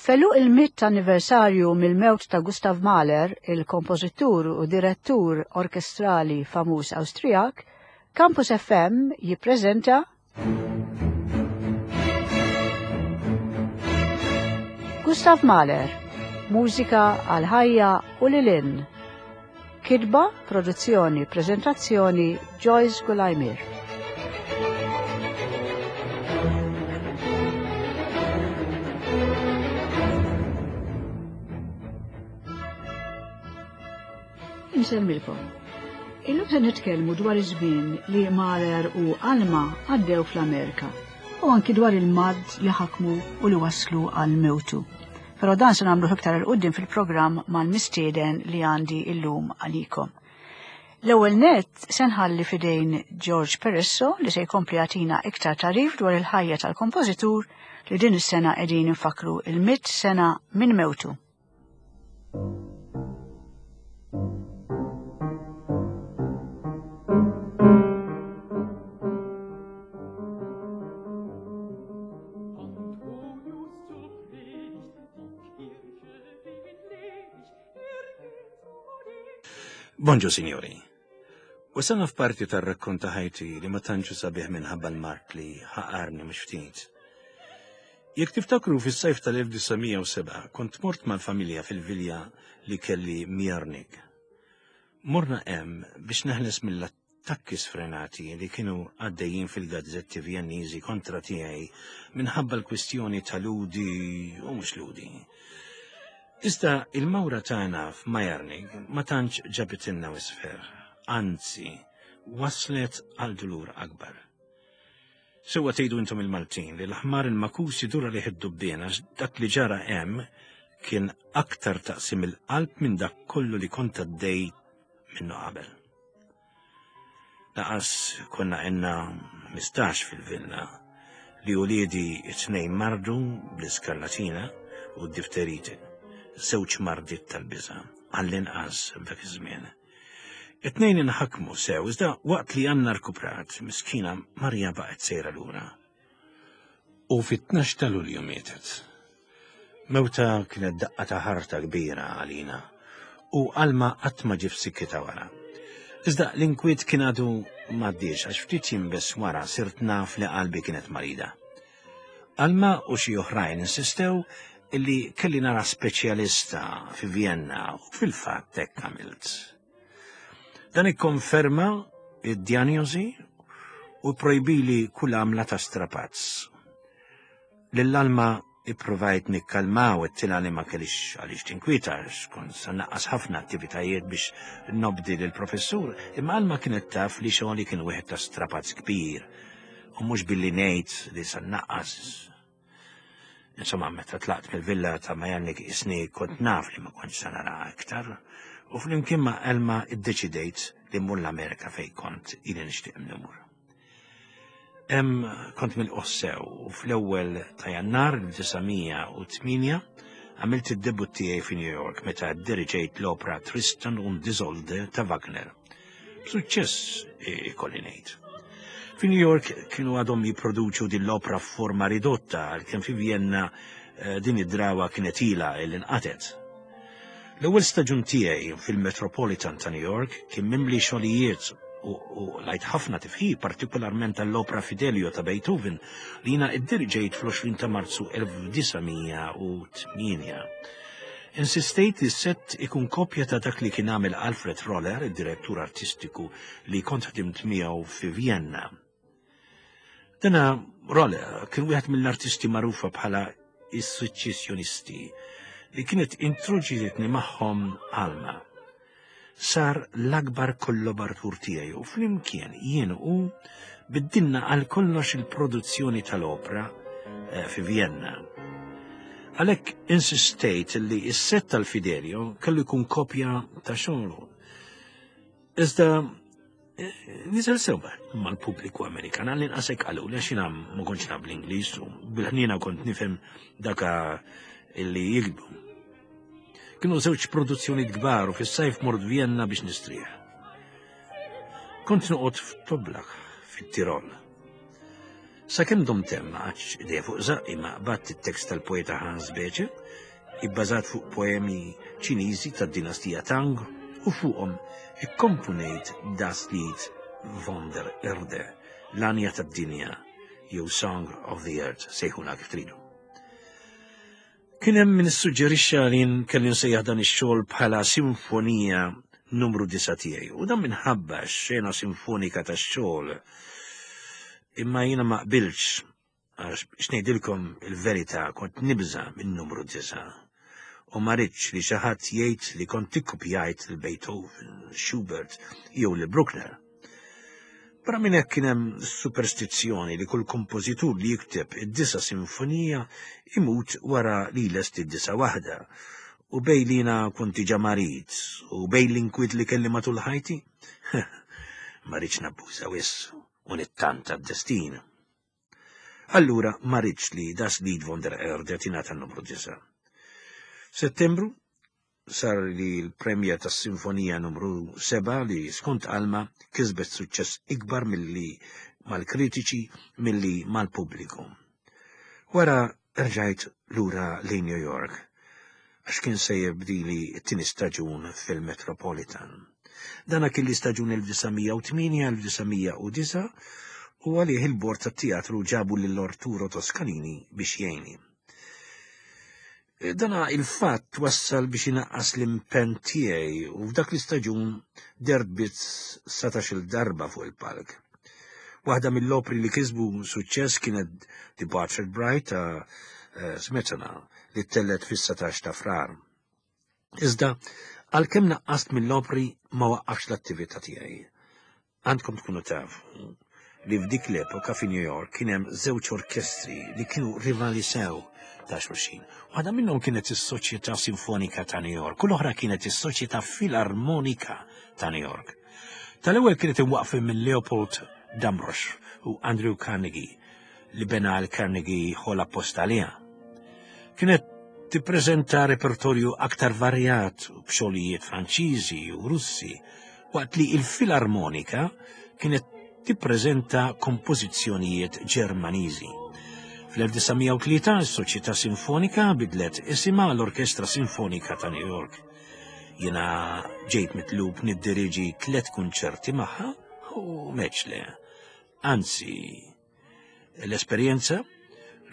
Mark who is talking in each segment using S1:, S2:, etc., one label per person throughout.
S1: F'għeluq il-mitt anniversarju mill-mewt ta' Gustav Mahler, il-kompożitur u direttur orkestrali famuż Awstrijak, Campus FM jippreżenta Gustav Mahler, mużika għal ħajja u lil hinn. Kitba, produzzjoni, preżentazzjoni Joyce Gulajmir. Insellmilkom. Illum se nitkellmu dwar iż-żmien li Mahler u Alma għaddew fl-Amerika u anki dwar il-mard li ħakmu u li waslu għal mewtu. Però dan se nagħmluh iktar 'il quddiem fil-programm mal-mistieden li għandi illum għalikom. L-ewwel nett se nħalli f'idejn George Peresso li se jkompli jagħtina iktar tagħrif dwar il-ħajja tal-kompożitur li din is-sena qegħdin infakkru il-mitt sena minn mewtu.
S2: Bonġu, signori. Wasalna f'parti tar-rakkont ta' ħajti li ma tantx sabiħ minħabba l-mart li ħaqarni mhux ftit. Jekk tiftakru fis-sajf tal-1907 kont mort mal-familja fil-vilja li kelli Mjarnik. Morna hemm biex neħles mill-attakki sfrenati li kienu għaddejjin fil-gazzetti Vjenniżi kontra tiegħi minħabba l-kwistjoni ta' Ludi u mhux Ludi. Iżda il-mawra tagħna f'Majarnig ma tantx ġabitilna wisq ferħ, anzi waslet għal dulur akbar. Sewwa tgħidu intom il-Maltin li l-ħmar il-makus idur għalih id-dubbien għax dak li ġara hemm kien aktar taqsim il-qalb minn dak kollu li kont għaddej minnu qabel. Laqas konna għenna 15 fil-villa li uliedi it-tnejn mardu bl-iskarlatina u d-difterite, żewġ mardiet tal-biża' għall-inqas f'dak iż-żmien. It-tnejn inħakmu sew, iżda waqt li Anna rkuprat, miskina Marja baqgħet sejra lura. U fit-12 ta' Lulju mietet. Mewta kienet daqqa ta' ħarta kbira għalina u Alma qatt ma ġie f'sikkitha wara. Iżda l-inkwiet kien għadu m'għaddiex għax ftit jiem biss wara sirt naf li qalbi kienet marida. Alma u xi oħrajn insistew illi kelli nara speċjalista fi Vienna u fil-fatt hekk għamilt. Dan ikkonferma id-djanjosi u projbili kull għamla ta' strapazz. Lil Alma ippruvajt nikkalma u għedtilha li ma kellix għaliex tinkwieta għax kont sa naqqas ħafna attivitajiet biex nobdi lill-professur, imma Alma kienet taf li xogħli kien wieħed ta' strapazz kbir u mhux billi ngħid li sa naqqas. Insomma, meta tlaqt mill-villa ta' Majannik isni kont naf li ma kontx sa nara iktar u flimkien ma' Elma iddeċidejt li mmur l-Amerika fejn kont ili nixtieq mmur. Hemm kont milqugħ sew u fl-ewwel ta' Jannar 1908 għamilt id-debut tiegħi fi New York meta ddiriġejt l-opra Tristan und Isolde ta' Wagner. B'suċċess ikolli ngħid. Fi New York kienu għadhom jipproduċu din l-opra f'forma ridotta għalkemm fi Vienna eh, din id-drawa kienet ilha li nqatet. L-ewwel staġun tiegħi fil-Metropolitan ta' New York kien mimli xogħlijiet u lajt ħafna tifħir, partikolarment għall-opra Fidelio ta' Beethoven li jiena iddiriġejt fl-20 ta' Marzu 1908. Insistejt li s-sett ikun kopja ta' dak li kien għamel Alfred Roller, id-direttur artistiku li kont ħdimt miegħu fi Vienna. Dana Roller kien wieħed mill-artisti magħrufa bħala is-suċċessjonisti li kienet introġietni magħhom Alma. Sar l-akbar kollaboratur tiegħi u flimkien jien u biddilna għal kollox il-produzzjoni tal-opra eh, fi Vienna. Għalhekk insistejt li s-set tal-Fidelio kellu jkun kopja ta' xogħlu. Iżda Niżel sewwa mal-pubbliku Amerikan, għal inqas hekk qalu, għax jiena ma kontx naf bl-Ingliż u bil-ħniena kont nifhem daka illi jikbu. Kienu żewġ produzzjonijiet kbar u fis-sajf mort Vienna biex nistrieħ. Kont noqgħod f'Toblach, fit-Tirol. Sakemm domt hemm ma qgħadtx idejja fuq żaqqi ma qbadt it-tekst tal-poeta Hans Becher, ibbażat fuq poemi Ċiniżi tad-dinastija Tang u fuqhom ikkomponejt Das Lied von der Erde, l-għanja tad-dinja jew Song of the Earth, sejħuna kif tridu. Kien hemm min issuġġerixxa li jien kelli nsejjaħ dan ix-xogħol bħala Sinfonija Numru 9 tiegħi, u dan minħabba x-xena sinfonika tax-xogħol. Imma jiena ma qbiltx għax biex ngħidilkom il-verità kont nibża' minn numru 9 u ma ridtx li xi ħadd jgħid li kont ikkupjajt lil Beethoven, Schubert jew lil Bruckner. Barra minn hekk kien hemm superstizzjoni li kull kompożitur li jikteb id-disa' sinfonija imut wara li jlesti d-disa' waħda. U bej li jiena kont diġà marid u bejn l-inkwiet li kelli matul ħajti, ma ridx nabbuża wisq u nittanta d-destin. Allura ma ridx li Das Lied von der Erde tingħata n-numru 9. F'Settembru sar li l-premjer tas-Sinfonija Numru 7 li skont Alma kisbet suċċess ikbar milli mal-kritiċi milli mal-pubbliku. Wara rġajt lura lejn New York għax kien se jibdili t-tieni staġun fil-Metropolitan. Dana kien l-istaġun 1908-1909 u għalih il-bord tat-teatru ġabu lil Arturo Toscanini biex jgħinni. Dana il-fatt wassal biex inaqqas l-impenn tiegħi u f'dak l-istaġun dert biss satax-il darba fuq il-palk. Waħda mill-opri li kisbu suċċess kienet The Bartered Bride ta' eh, Smetana li ttellgħet fis-satax ta' Frar. Iżda għalkemm naqqast mill-opri ma waqqafx l-attività tiegħi. Għandkom tkunu tafu li f'dik l-epoka fi New York kien hemm żewġ orkestri li kienu rivali sew ta' xulxin. Waħda minnhom kienet is-Soċjetà Sinfonika ta' New York u l-oħra kienet is-Soċjetà Filarmonika ta' New York. Tal-ewwel kienet imwaqfin minn Leopold Damrosch u Andrew Carnegie li bena l-Carnegie Hall apposta għaliha. Kienet tippreżenta repertorju aktar varjat b'xogħlijiet Franċiżi u Russi waqt li l-Filarmonika kienet tippreżenta kompożizzjonijiet Ġermaniżi. Fl-1903 s-Soċjetà Sinfonika bidlet isimha l-Orkestra Sinfonika ta' New York. Jiena ġejt mitlub niddiriġi tlet kunċerti magħha u meċ le. Anzi, L-esperjenza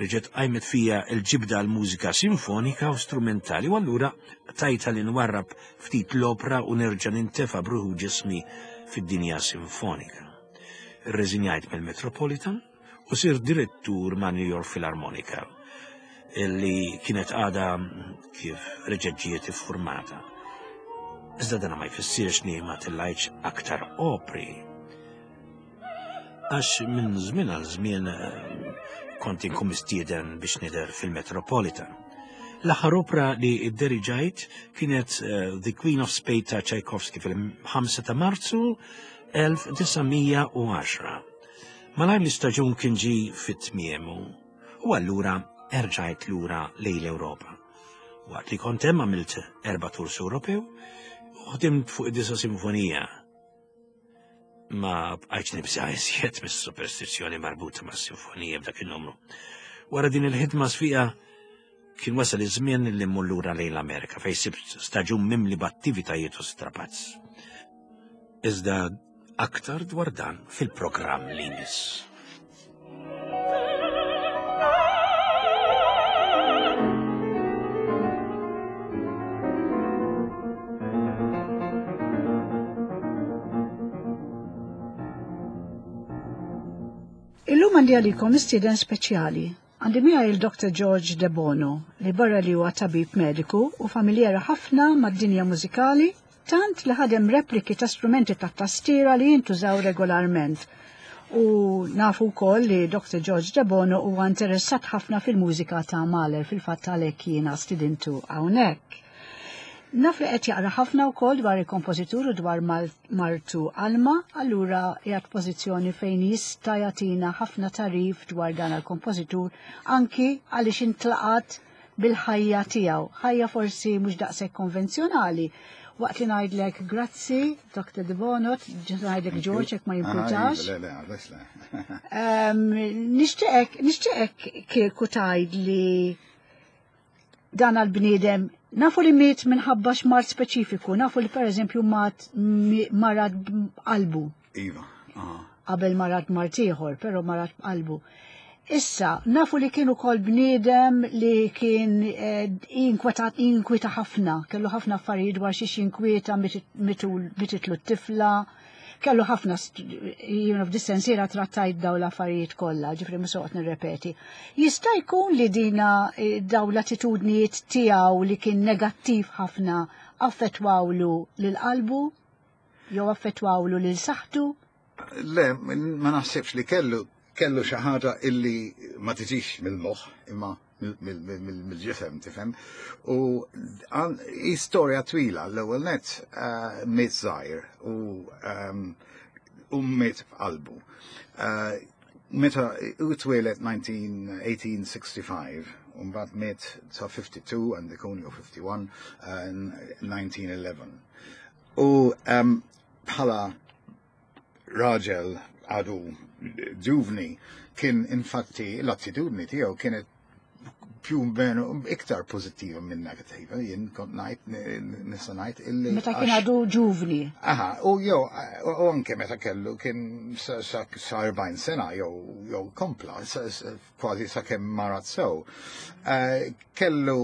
S2: reġgħet qajmet fija l-ġibda għal mużika sinfonika u strumentali u allura tajta li nwarrab ftit l-opra u nerġa' nintefa' bruħu ġismi fid-dinja sinfonika. Irreżinjajt mill-Metropolitan u sirt direttur ma' New York Philharmonica li kienet għada kif reġgħet ġiet iffurmata. Iżda dana ma jfissirx li ma tellajtx aktar opri Għax minn żmien għal żmien eh, kont inkun mistieden biex nidher fil-Metropolitan. L-aħħar opra li idderiġajt kienet eh, The Queen of Spades ta' Tchaikovsky fil-5 ta' Marzu 1910. Malajr l-istaġun kien ġi fit-tmiemu u allura erġajt lura lejn l-Ewropa. Waqt li kont hemm għamilt erba' tours Ewropew u ħdimt fuq id-disa sinfonija Ma bqajtx nibża' iżjed mis-superstizzjoni marbuta mas-sinfonija b'dak in-numru. Wara din il-ħidma sfiqa kien wasal iż-żmien li mmur lura lejn l-Amerika fejn sibt staġun mimli b'attivitajiet u strapazz. Iżda aktar dwar dan fil-programm li jmiss.
S1: Illum għandi għalikom mistieden speċjali. Għandi miegħi il-Dr. George De Bono li barra li huwa tabib mediku u familjera ħafna mad-dinja mużikali tant li ħadem repliki ta' strumenti ta' tastiera li jintużaw regolarment. U nafu wkoll li Dr. George Debono huwa interessat ħafna fil-mużika ta' Mahler, fil-fatt għalhekk jiena stidintu hawnhekk. Naf li qed jaqra ħafna wkoll dwar il-kompożitur u dwar martu Alma, allura qiegħed pożizzjoni fejn jista' jagħtina ħafna tarif dwar dan il-kompożitur anki għaliex intlaqat. bil-ħajja tiegħu. Ħajja forsi mhux daqshekk konvenzjonali. Waqt li ngħidlek grazzi, Dr. De Bono, ngħidlek George jekk ma jimpurtax.
S3: Le, le, għalix le.
S1: Nixtieqek, nixtieqek kieku tgħid li dan għal-bniedem nafu li miet minħabba x'mard speċifiku, nafu li pereżempju mat marad b'qalbu.
S3: Iva. aha.
S1: Qabel marad mard ieħor, però marad b'qalbu. Issa, nafu li kien ukoll bniedem li kien inkwetat jinkwieta ħafna, kellu ħafna affarijiet dwar xiex jinkwieta mititlu t-tifla, kellu ħafna, you f'dis-sensiela trattajt daw l-affarijiet kollha, ġifieri mhux soqgħod nirrepeti. Jista' jkun li dina daw l-attitudnijiet tiegħu li kien negattiv ħafna affettwawlu lil qalbu jew affettwawlu lil saħħtu?
S3: Le, ma naħsibx li kellu xi ħaġa illi ma tiġix mill-moħħ imma mill-ġisem, tifhem. U hi storja twila l-ewwel net miet żgħir u miet f'qalbu. Meta u twieled 1865, u mbagħad miet ta' 52 għandi ikun jew 51, 1911. U bħala raġel għadu ġuvni kien infatti l-attitudni tiegħu kienet più meno iktar pozittiva minn negativa, jien kont ngħid nista' ngħid illi.
S1: Meta kien għadu ġuvni.
S3: Aha, u jew u anke meta kellu kien sa 40 sena jew kompla kważi sa kemm marat sew. Kellu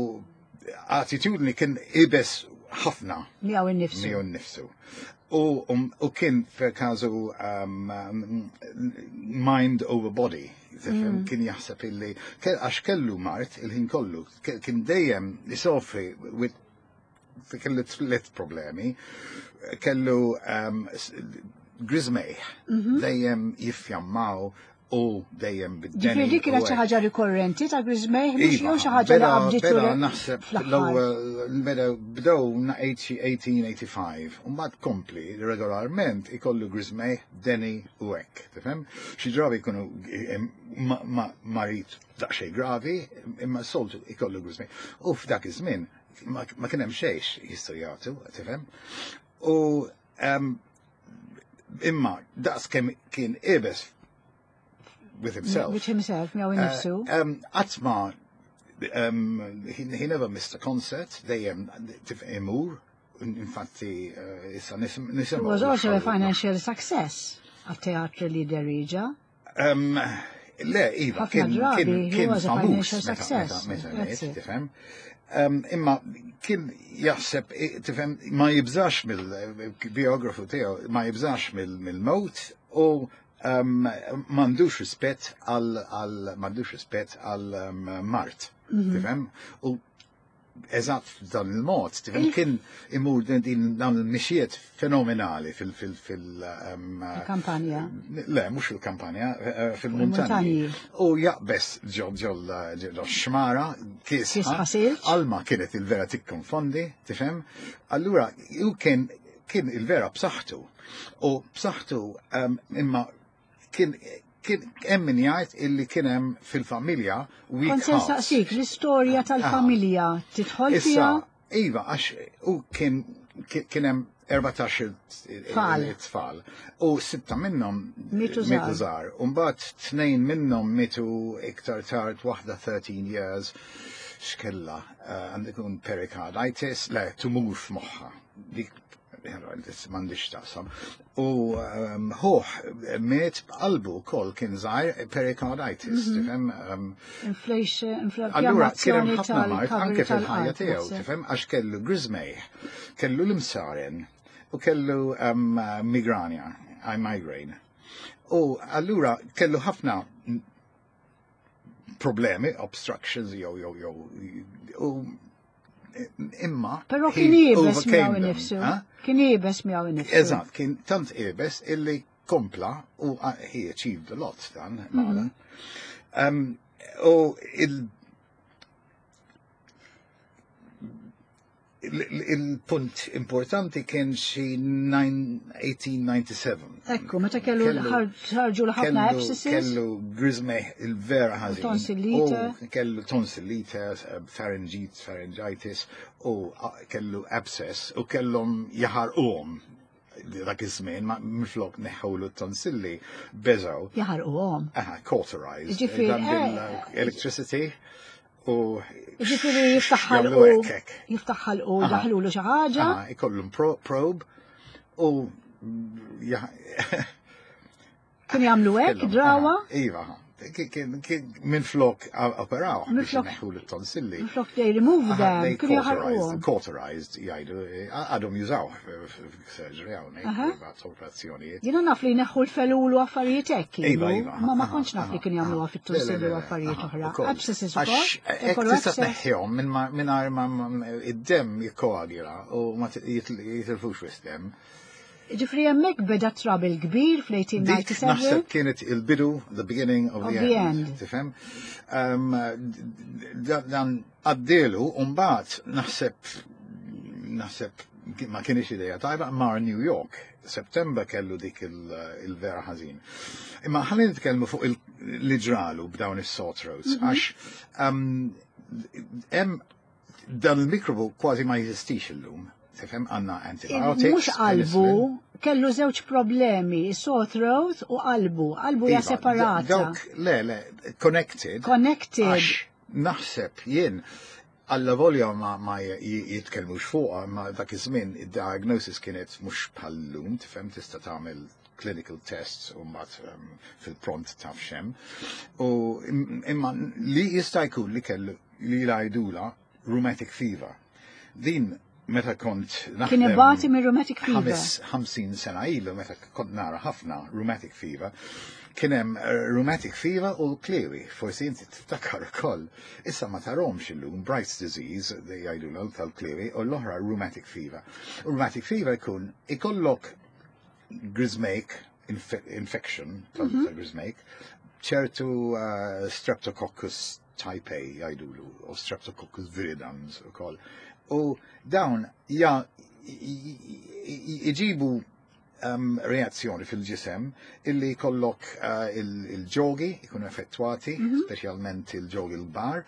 S3: attitudni kien ibes ħafna.
S1: Miegħu innifsu.
S3: Miegħu innifsu. U kien per każu mind over body. Tifhem, kien jaħseb illi għax kellu mard il-ħin kollu, kien dejjem isofri with kellu tliet problemi, kellu griżmejh, dejjem jiffjammaw u dejjem bid-deni.
S1: Ġifieri dik kienet xi ħaġa rikorrenti ta' griżmejh mhux jew xi ħaġa li qabditu
S3: Beda naħseb
S1: fl-aħħar.
S3: l-ewwel beda bdew 1885 u mbagħad kompli regolarment ikollu griżmejh, deni u hekk, tifhem? Xi drabi jkunu marid daqsxejn gravi, imma soltu ikollu griżmejh. U f'dak iż-żmien ma kien hemm xejn jistgħu jagħtu, tifhem? U imma daqs kemm kien ibes with himself.
S1: With himself, miegħu innifsu.
S3: Qatt ma he never missed a concert, dejjem imur, infatti issa nisimgħu.
S1: It was also a financial success għat-teatru li derieġa.
S3: Le, Iva,
S1: Ħafna drabi, he
S3: kien
S1: was a
S3: famuż
S1: financial success.
S3: meta
S1: That's
S3: miet,
S1: it.
S3: tifhem. Imma kien jaħseb, tifhem, ma jibżax mill-biografu tiegħu, ma jibżax mill-mewt u m'għandux rispett għal, m'għandux rispett għal mard, tifhem? U eżatt f'dan il-mod, tifhem, kien imur din dan il-mixiet fenomenali fil-
S1: Il-kampanja.
S3: Le, mhux fil-kampanja, fil-muntanji.
S1: Fil-muntanji.
S3: U jaqbes ġol xmara, kisħa.
S1: Kisħa silġ.
S3: Alma kienet il-vera tikkonfondi, tifhem? Allura, ju kien il-vera b'saħħtu. U b'saħħtu imma kien hemm min jgħid illi kien hemm fil-familja weak
S1: Kont se
S3: hearts.
S1: nsaqsik, l-istorja tal-familja tidħol
S3: Issa,
S1: fiha?
S3: Iva, għax u kien hemm 14
S1: Tfal.
S3: it-tfal. U 6 minnhom
S1: Mitu
S3: mitu
S1: żgħar.
S3: żgħar. U mbagħad 2 minnhom mitu iktar tard, waħda 13 years, x'kella, għandu jkun pericarditis, le, tumur f'moħħha. Dik m'għandix taqsam. U ħuh miet b'qalbu wkoll kien żgħir pericarditis, tifhem?
S1: Inflation,
S3: Allura, kien hemm
S1: inflammation
S3: ħafna mard
S1: tal-cover
S3: anke fil-ħajja
S1: tal-qalb,
S3: tiegħu,
S1: naħseb.
S3: tifhem, għax kellu griżmejh, kellu l-imsaren u kellu migranja, I migraine. U allura kellu ħafna problemi, obstructions, jew, jew, jew, u imma
S1: Però
S3: he
S1: kien iebes
S3: overcame
S1: miegħu
S3: them,
S1: innifsu.
S3: ha?
S1: Kien iebes miegħu innifsu.
S3: Eżatt, kien tant iebes illi kompla u he achieved a lot dan, magħna. U il Il-punt importanti kien xi 1897.
S1: Ekku, meta kellu ħarġu l-ħafna abscesses.
S3: Kellu griżmejh il-vera ħażin.
S1: Tonsillite.
S3: Kellu tonsillite, pharyngit, pharyngitis, u kellu abscess, u kellhom jaħarquhom dak iż-żmien ma minflok neħħewlu t-tonsilli beżgħu.
S1: Jaħarquhom.
S3: Aha, cauterized.
S1: Ġifieri,
S3: Electricity u
S1: Ġifieri jiftaħ ħalqu jiftaħ ħalqu daħlulu xi ħaġa.
S3: Ikollhom probe u
S1: Kien jagħmlu hekk drawa?
S3: Iva, minn flok operaw biex neħħu l-tonsilli.
S1: Minn flok they remove them, kienu jaħarquhom.
S3: Cauterized, jgħidu, għadhom jużaw surgery hawnhekk, operazzjonijiet.
S1: Jiena naf li neħħu l-felul u affarijiet hekk.
S3: Iva, iva.
S1: Ma ma kontx naf li kienu jagħmluha fit-tonsilli u affarijiet oħra. Abscesses ukoll.
S3: Għax hekk tista' tneħħihom mingħajr ma id-demm jikkoagula u ma jitilfux wisq demm.
S1: Ġifieri hemmhekk beda trouble kbir fl-1897.
S3: Naħseb kienet il-bidu, the beginning of the end. Tifhem? Dan għaddielu, mbagħad naħseb ma kienx ideja tajba mar New York. September kellu dik il-vera ħażin. Imma ħalli nitkellmu fuq li ġralu b'dawn is-sore throats, għax hemm dan il-mikrobu kważi ma jeżistix illum. Tifhem, għandna antibiotics.
S1: Mhux qalbu, kellu żewġ problemi, sore throat u qalbu. Qalbu hija
S3: Iva,
S1: separata.
S3: Dawk, le, le, connected.
S1: Connected.
S3: Għax naħseb jien, alla volja ma jitkellmux fuqha, ma dak iż-żmien id-diagnosis kienet mhux bħal-lum, tifhem, tista' tagħmel clinical tests u mbagħad fil-pront taf x'hemm. U imma li jista' jkun li kellu li jgħidula rheumatic fever. Din meta kont naħdem
S1: Kien ibati minn rheumatic fever.
S3: 50 sena ilu meta kont nara ħafna rheumatic fever, kien hemm rheumatic fever u l-kliewi, forsi inti tiftakar ukoll. Issa ma tarhomx illum Bright's disease, jgħidu l tal-kliewi, u l-oħra rheumatic fever. Rheumatic fever jkun ikollok griżmejk infection tal-griżmejk, ċertu Streptococcus type A jgħidulu, u Streptococcus viridans u koll. U dawn iġibu reazzjoni fil-ġisem illi kollok il-ġogi ikunu effettuati, speċjalment il-ġogi l-kbar.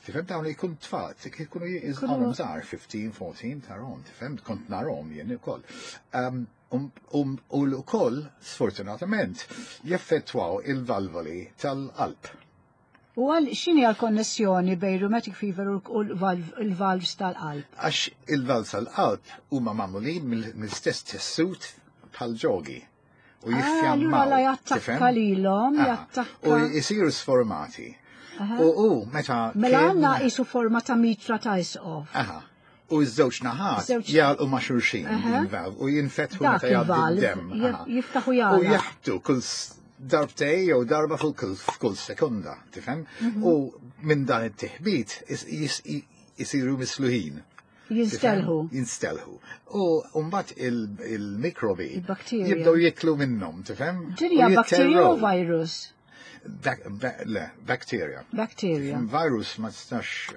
S3: Tifhem, dawn li jkun tfal, jkunu jizgħalhom żgħar, 15, 14, tarahom, tifhem, kont narahom jien ukoll. U l-ukoll, sfortunatament, jeffettwaw il-valvoli tal-qalb.
S1: U għal x'inhi għal-konnessjoni bejn rheumatic fever u l-valves tal-qalb?
S3: Għax il-valves tal-qalb huma magħmulin mill-istess tessut bħal-ġogi. U
S1: Ah,
S3: jiffjammaw,
S1: allura la jattakka
S3: tifhem?
S1: lilhom,
S3: Aha.
S1: jattakka.
S3: U jisiru sformati. U meta
S1: Mela
S3: kien
S1: għandna qisu forma ta' mitra ta' isqof.
S3: Aha. U ż-żewġ naħat jagħlqu ma' xulxin il-valve u jinfetħu
S1: Dak
S3: meta jgħaddi
S1: il-valve
S3: d-demm.
S1: jiftaħu
S3: U
S1: jagħlaq.
S3: jaħbtu kull darbtej jew darba f'kull sekonda, tifhem? U minn dan it-tiħbit isiru misluħin.
S1: Jinstelħu.
S3: Jinstelħu. U mbagħad il-mikrobi
S1: Il-bakterja.
S3: jibdew jiklu minnhom, tifhem?
S1: Din hija
S3: U
S1: bakterja u
S3: jitterrow.
S1: virus?
S3: Le, bakterja.
S1: Bakterja.
S3: Virus ma tistax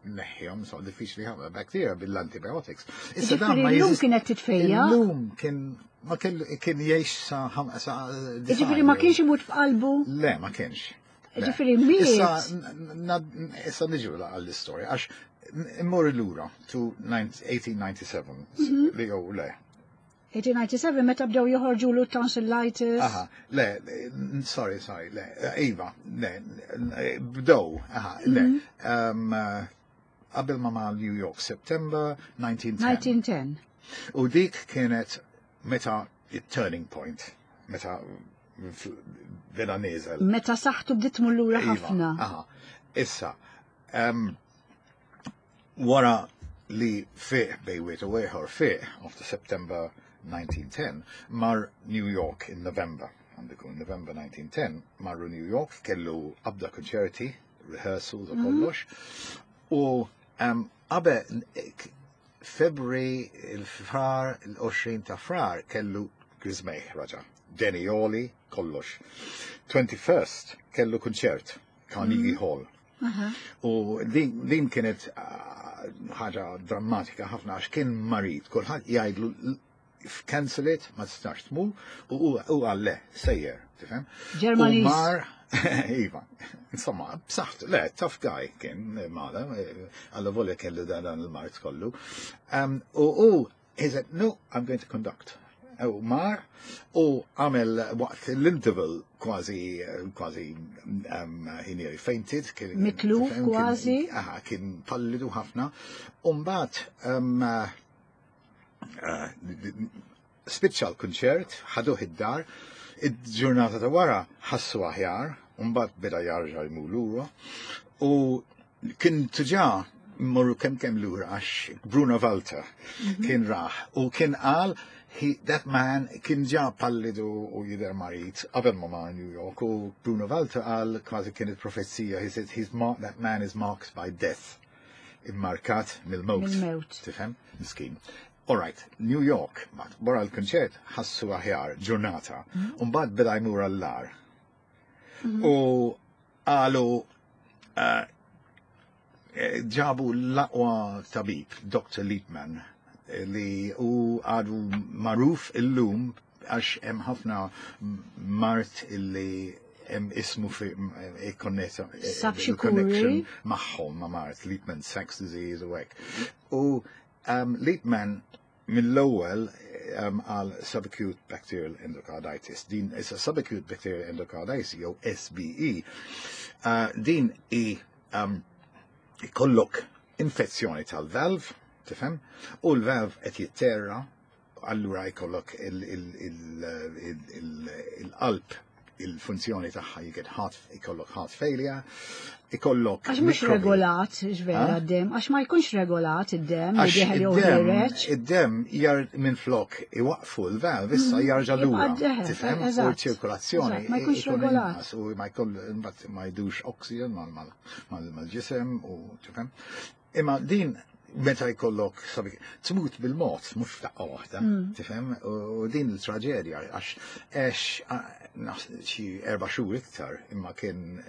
S3: tneħħihom, so diffiċli ħafna, bakterja bil-antibiotics. Issa dan
S1: Ġifieri
S3: ma
S1: llum
S3: jeżist-
S1: kienet titfejja?
S3: Illum kien ma kellu kien jgħix sa
S1: Ġifieri ma kienx imut f'qalbu?
S3: Le, ma kienx. Le.
S1: Ġifieri miet.
S3: Issa niġu għall-istorja, għax immur lura to 1897, li jew le.
S1: 1897 meta bdew joħorġu l tonsillitis.
S3: Aha, le, sorry, sorry, le, Iva, le, bdew, aha, le. Qabel ma ma New York, September 1910.
S1: 1910.
S3: U dik kienet meta turning point, meta beda nieżel.
S1: Meta saħħtu bdiet tmur lura
S3: Iva,
S1: ħafna.
S3: Aha, issa, wara li fieq bejn wieħed u ieħor fieq, after September 1910, mar New York in November. Għandu November 1910, marru New York, kellu qabda konċerti, rehearsals u kollox. U qabel February, il-frar, il-20 ta' frar, kellu griżmejh raġa. Deni għoli, kollox. 21st kellu konċert, Carnegie Hall. U din kienet ħaġa drammatika ħafna għax kien marid, kulħadd jgħidlu cancel it, ma tistax tmur, u u qal le, sejjer, tifhem?
S1: Ġermaniż.
S3: U mar, iva, insomma, b'saħħtu, le, tough guy kien Mahler, għallu volja kellu dan il-mard kollu. U he said, no, I'm going to conduct. U mar, u għamel waqt l-interval kważi, kważi, he nearly fainted. Kien,
S1: Mitluf
S3: tifhem,
S1: kważi.
S3: Aha, kien pallidu ħafna. Umbagħad, spiċċa l-kunċert, ħaduh id-dar, il-ġurnata ta' wara ħassu aħjar, mbagħad beda jarġa' jmur lura, u kien diġà morru kemm kemm lura għax Bruno Walter kien raħ u kien qal that man kien ġa pallidu u jidher marid qabel ma mar New York u Bruno Walter qal kważi kienet profezija, he said he's marked, that man is marked by death. Immarkat mill-mewt.
S1: Mill-mewt.
S3: Tifhem? Miskin. All right, New York, wara l-konċert ħassu aħjar ġurnata, u mbagħad beda jmur għall-agħar. U qalu ġabu l-aqwa tabib, Dr. Liepman, li u għadu magħruf illum għax hemm ħafna mard illi hemm ismu fi ikkonnessa
S1: Sab xi
S3: connection
S1: kuri?
S3: magħhom ma' mard, Liepman Sachs disease u hekk. U Liepman mill-ewwel għal subacute bacterial endocarditis. Din issa subacute bacterial endocarditis jew SBE. Din i ikollok infezzjoni tal-valve, tifhem? U l-valve qed jitterra, allura jkollok il-qalb, il-funzjoni tagħha, you get heart, ikollok heart failure, ikollok
S1: Għax mhux
S3: mikrobi.
S1: regolat, ġvera
S3: Ha?
S1: d-dem, għax ma jkunx regolat id-dem, li
S3: Għax
S1: dieħel jew ħiereġ.
S3: id-dem jar minn flok iwaqfu l-valve, issa jarġa'
S1: Jibqa'
S3: lura.
S1: d-deħel,
S3: Tifhem? U
S1: eżatt.
S3: ċirkolazzjoni
S1: Eżatt, ma jkunx
S3: ikun
S1: regolat.
S3: inqas u ma jkoll imbagħad ma jdux oxygen mal-ġisem u tifhem. Imma din meta jkollok sabi, tmut bil-mod, mhux f'daqqa waħda, tifhem? U din il-traġedja għax għex xi 4 xhur iktar imma kien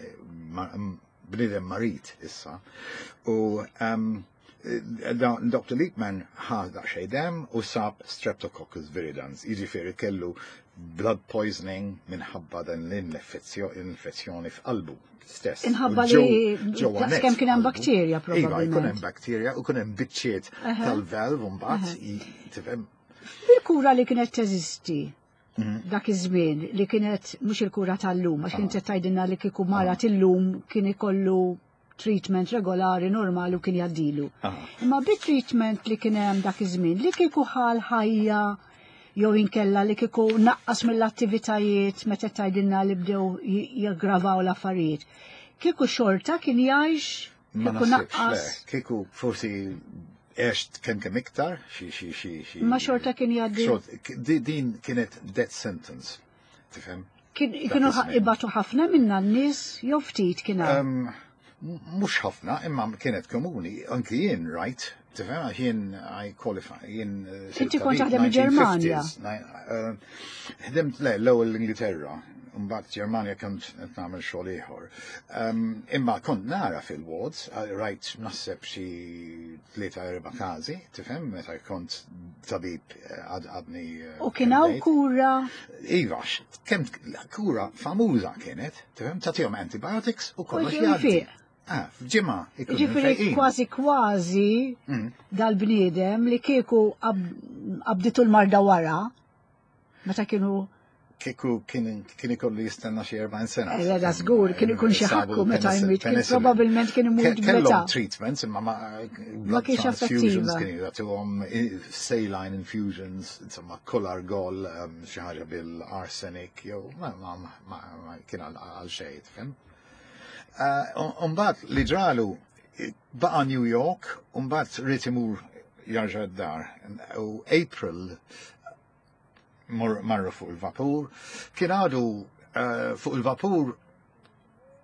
S3: bniedem marid issa. U Dr. Liepman ħa daqsxejn dem u sab Streptococcus viridans, jiġifieri kellu blood poisoning minħabba dan l-infezzjoni f'qalbu stess.
S1: Inħabba
S3: U
S1: li
S3: ġewwa
S1: daqs
S3: net
S1: kemm kien hemm
S3: f'qalbu.
S1: bakterja
S3: Iva, jkun hemm
S1: probabbilment.
S3: bakterja u kien hemm biċċiet tal-valve u mbagħad tifhem.
S1: Il-kura li kienet teżisti dak iż-żmien li kienet mhux il-kura tal-lum, għax kienet tgħidilna li kieku mara illum kien ikollu treatment regolari normali u kien jgħaddilu. Imma bit-treatment li kien hemm dak iż-żmien li kieku ħal ħajja jew inkella li kieku naqqas mill-attivitajiet meta tgħidilna li bdew jaggravaw l-affarijiet. Kieku xorta kien jgħix,
S3: Ma
S1: kieku
S3: naħsibx,
S1: naqqas.
S3: le. Kieku forsi għext kemm kemm iktar, xi, xi, xi, xi.
S1: Ma xorta kien jgħaddi.
S3: Xort, din kienet death sentence, tifhem?
S1: Kienu
S3: Dak iż-żmien.
S1: ibatu ħafna minna n-nies jew ftit kien hawn?
S3: Mhux ħafna, imma kienet komuni, anki jien, right? Tifhem, għax jien I qualify, jien sirt
S1: Inti kont
S3: tabib
S1: taħdem il-Ġermanja.
S3: 1950s, ħdimt, le, l-ewwel l-Ingilterra, mbagħad Ġermanja kont qed nagħmel xogħol ieħor. Imma kont nara fil-wards, rajt naħseb xi 3-4 każi, tifhem, meta kont tabib għadni
S1: U kien hawn
S3: candidate.
S1: kura?
S3: Iva, kemm kura famuża kienet, tifhem, tagħtihom antibiotics u kollox
S1: U
S3: jgħaddi.
S1: jfiq.
S3: F'ġimgħa ikunu
S1: Ġifieri
S3: mfejqin.
S1: kważi kważi dal-bniedem li kieku qabditu l-marda wara, meta kienu
S3: Kieku kien ikollu jistenna xi 40 sena.
S1: Da żgur, kien ikun xi
S3: Sabu
S1: ħakku meta jmut, kien
S3: penicillin.
S1: probabbilment kien imut
S3: Kellhom
S1: bl-età.
S3: treatments, imma ma
S1: Ma
S3: blood
S1: kienx
S3: transfusions
S1: effettiva.
S3: kien jagħtuhom saline infusions, insomma kolargol, xi ħaġa bil-arsenic, jew ma kien għal xejn, tifhem? Umbagħad li ġralu baqa' New York, umbagħad ried imur jarġa' d-dar. U April marru fuq il-vapur, kien għadu fuq il-vapur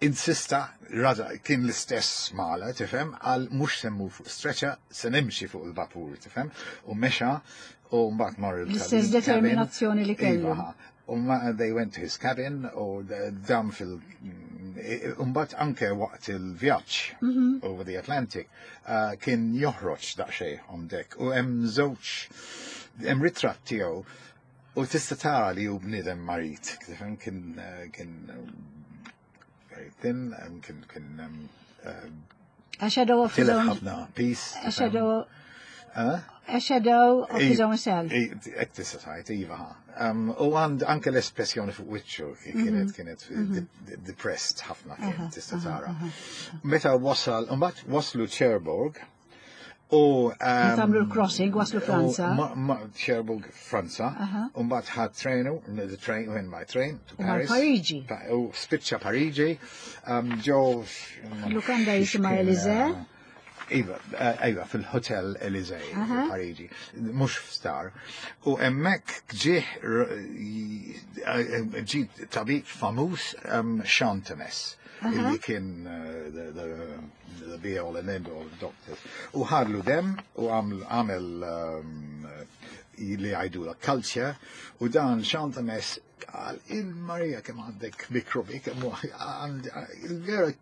S3: insista, rada, kien l-istess mala, tifhem, għal mhux semmu fuq stretcher, se nimxi fuq il-vapur, tifhem, u mexa, u mbagħad mar il-cabin.
S1: L-istess determinazzjoni li kellu.
S3: Iva, u ma, they went to his cabin, u dam fil-cabin Imbagħad anke waqt il-vjaġġ over the Atlantic kien joħroġ daqsxejn on deck u hemm żewġ hemm ritratt tiegħu u tista' tara li hu bniedem marid. Tifhem kien very thin, kien
S1: A shadow of his
S3: tilef
S1: own
S3: ħafna peace.
S1: a shadow of his own self.
S3: Hekk tista' tgħid, iva. U għand anke l-espressjoni fuq wiċċu kienet depressed ħafna kien tista' tara. Meta wasal, mbagħad waslu Cherbourg u
S1: Meta għamlu l-crossing waslu Franza.
S3: Cherbourg, Franza, u mbagħad ħad trenu, the train, went by train to
S1: U mar
S3: Paris.
S1: Pariġi.
S3: U spiċċa Pariġi, ġo
S1: Lukanda jisimha Elysée.
S3: Iva, iva, fil-Hotel Elysée, Pariġi, mhux f'star. U hemmhekk ġie ġie tabib famuż Chantemesse, illi kien the be all and end all of doctors. U ħadlu dem u għamel li għajdula culture u dan Chantemesse qal il-Marija kemm għandek mikrobi, kemm il-vera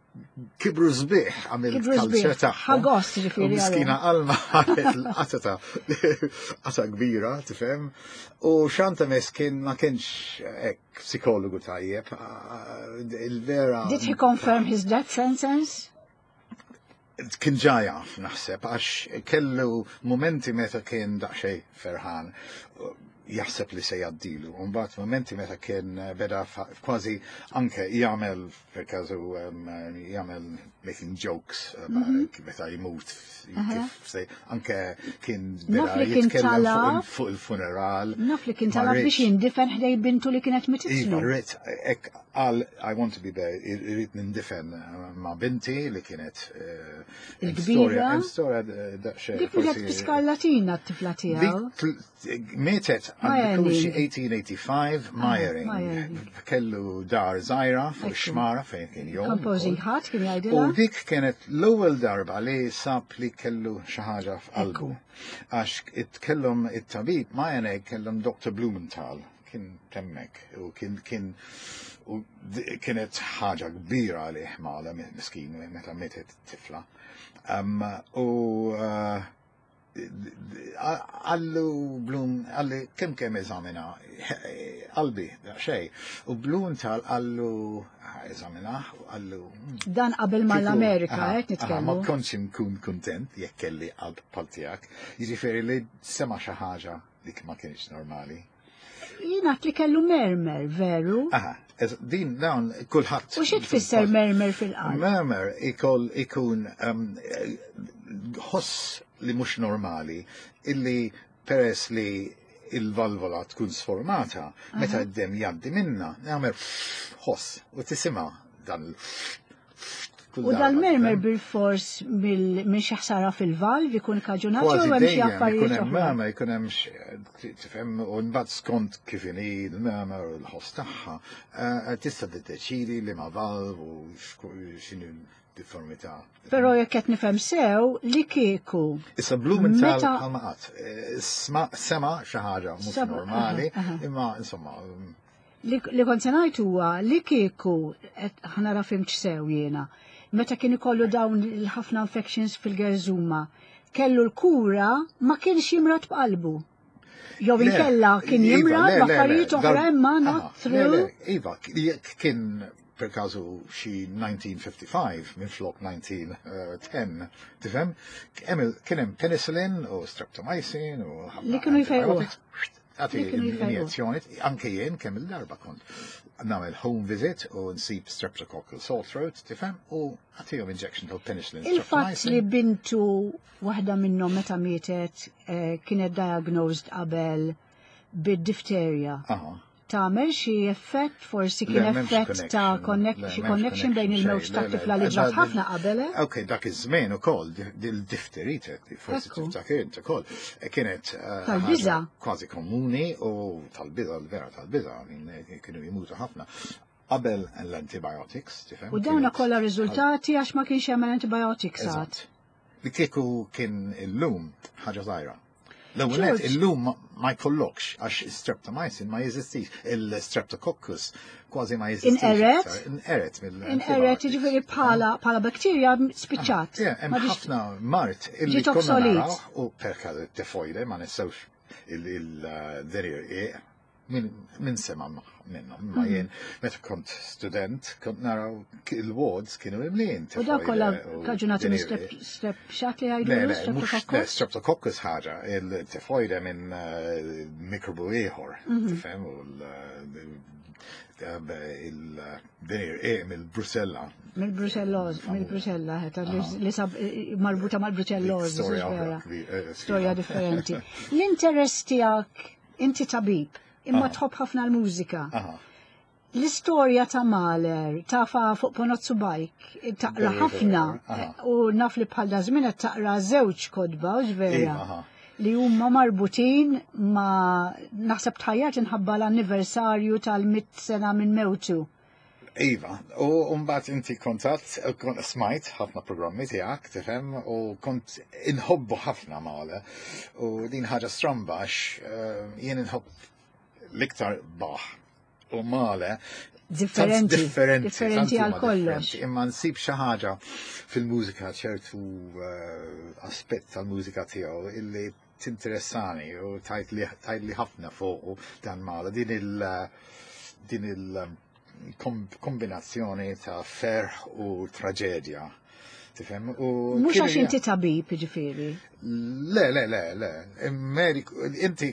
S3: kibru sbieħ għamil
S1: Kibru sbieħ.
S3: culture tagħhom.
S1: Ħa gost, ġifieri,
S3: U miskina Alma ħadet l-qatata, qata kbira, tifhem. U Chantemesse kien ma kienx hekk psikologu tajjeb, il-vera.
S1: Did he confirm his death sentence?
S3: Kien ġa jaf, naħseb, għax kellu momenti meta kien daqsxejn ferħan, jaħseb li se jgħaddilu. Mbagħad momenti meta kien beda kważi anke jagħmel per każu jagħmel making jokes meta jmut kif se anke kien beda
S1: Naf li kien
S3: jitkellem
S1: talab.
S3: fuq il-funeral.
S1: Naf li kien
S3: Ma
S1: talab biex
S3: rridx.
S1: jindifen ħdej bintu li kienet
S3: Iva,
S1: mititlu.
S3: rrid, hekk qal, I want to be there, irrid nindifen ma' binti li kienet
S1: Il-kbira.
S3: storja, hemm storja daqsxejn.
S1: Dik mietet
S3: forsi-
S1: b'skarlatina t-tifla tiegħu.
S3: Dik mietet għandu
S1: Meyerling.
S3: xi 1885 Meyerling.
S1: Meyerling.
S3: Kellu dar żgħira fuq
S1: Ekku.
S3: xmara fejn kien jom.
S1: Composing ħadd kien
S3: U
S1: jgħidilha.
S3: dik kienet l-ewwel darba li sab li kellu xi ħaġa f'qalbu. Għax itkellem it-tabib Meyerling kellhom Dr. Blumenthal kien temmek u kien u kienet ħaġa kbira għalih mala miskin meta mietet tifla. U għallu Blum, għalli kem eżamina, qalbi, xej, u Blumenthal għallu eżamina, u għallu.
S1: Dan qabel ma l-Amerika, qed
S3: Aha, ma
S1: nitkellmu.
S3: kontx nkun kontent jekk kelli qalb bħal tiegħek. Jiġifieri li sema xi ħaġa li ma kienx normali.
S1: Jien li kellu murmur, veru?
S3: Aha, din dawn kulħadd.
S1: U xi tfisser murmur fil-qalb?
S3: Murmur ikun ħoss li mhux normali illi peress li il-valvola tkun sformata, meta d-dem jgħaddi minna, jagħmel ħoss u tisimha dan il- kull
S1: U
S3: darba,
S1: dal-murmur
S3: tifhem?
S1: bil-fors minn xi ħsara fil-valv ikun kaġunat
S3: Kważi
S1: jew hemm xi
S3: dejjem ikun
S1: affarijiet
S3: hemm
S1: oħra.
S3: murmur, ikun hemm tifhem u mbagħad skont kif inhi l-murmur u l-ħoss tagħha, tista' tiddeċidi li ma valv u x'inhu difformità.
S1: Però jekk qed nifhem sew li kieku.
S3: Issa Blumenthal
S1: Meta-
S3: bħalma qatt, sema xi ħaġa mhux normali, imma insomma,
S1: Li kont se ngħid huwa li kieku qed ħa nara fhimtx sew jiena. Meta kien ikollu dawn il-ħafna infections fil-gerżuma, kellu l-kura ma kienx jimrad b'qalbu. Jew
S3: Le,
S1: inkella kien
S3: Iva,
S1: jimrad
S3: le, le, le,
S1: b'affarijiet oħra imma not
S3: le,
S1: through.
S3: le, Iva, jekk kien per każu xi 1955 minn flok 1910, tifhem? Kien hemm penicillin u streptomycin u ħafna
S1: Li kienu jfejquh.
S3: antibiotics. Għati
S1: Li kienu jfejquh.
S3: injezzjoni, anke jien kemm il-darba kont nagħmel home visit u nsib streptococcal sore throat, tifhem? U għatihom injection tal-penicillin.
S1: Il-fatt
S3: streptomycin.
S1: li bintu waħda minnhom meta mietet kienet diagnosed qabel bid-difterja. Tagħmel xi effett, forsi kien
S3: Le, m'hemmx
S1: effett ta'
S3: connection.
S1: connect,
S3: Le,
S1: xi
S3: m'hemmx
S1: connection bejn
S3: connection,
S1: il-mewt
S3: xejn.
S1: ta'
S3: Le, le,
S1: tifla li ġrat ħafna qabel, eh?
S3: Ok, dak iż-żmien ukoll dil-difterite, forsi tiftakir int ukoll, kienet
S1: Tal-biża'.
S3: ħaġa kważi komuni u tal-biża', l-vera tal-biża', kienu jimutu ħafna. Qabel l-antibiotics, tifhem?
S1: U dawna
S3: kienet
S1: kollha riżultati għax ma kienx hemm antibiotics għad.
S3: Eżatt. Li kieku kien illum ħaġa żgħira. L-ewwel nett illum ma jkollokx għax streptomycin ma jeżistix, il-streptococcus kważi ma jeżistix.
S1: Inqeret?
S3: Inqeret mill
S1: Inqeret jiġifieri bħala bħala bakterja spiċċat.
S3: Ah, hemm ħafna mart illi konna naraw u perka tifoide ma nistgħux il-derir Min sema minnhom, ma jien meta kont student kont naraw il-wards kienu imlin.
S1: U dak kollha kaġunati minn strep xat li jgħidu?
S3: Le, le, streptococcus ħaġa, il-tifoide minn eh, mikrobu ieħor, mhm. tifhem, u il-dinir eh, mill-Brusella.
S1: Mill-Bruselloż, mill-Brusella, li sab eh, marbuta mal-Bruselloż. Storja differenti. L-interess tiegħek Inti tabib, imma tħobb ħafna l-mużika. L-istorja ta' Mahler tafa fuq Ponozzu Bajk, taqra ħafna u naf li bħal da żmien qed taqra żewġ kodba, u vera. Iva, li huma marbutin ma naħseb tħajjat inħabba l-anniversarju tal-mit sena minn mewtu.
S3: Iva, u mbagħad inti kontat, kont smajt ħafna programmi tiegħek, tifhem, u kont inħobbu ħafna Male. U din ħaġa stramba għax eh, jien inħobb l-iktar Bach u Male.
S1: Differenti. Differenti. Differenti għal kollox.
S3: Imma nsib xi ħaġa fil-mużika ċertu eh, aspett tal-mużika tiegħu illi tinteressani u tajt li ħafna fuq dan Male. Din il- din il kombinazzjoni ta' ferħ u traġedja. Tifhem? U
S1: Mhux għax inti tabib, ġifieri.
S3: Le, le, le, le. Mediku, inti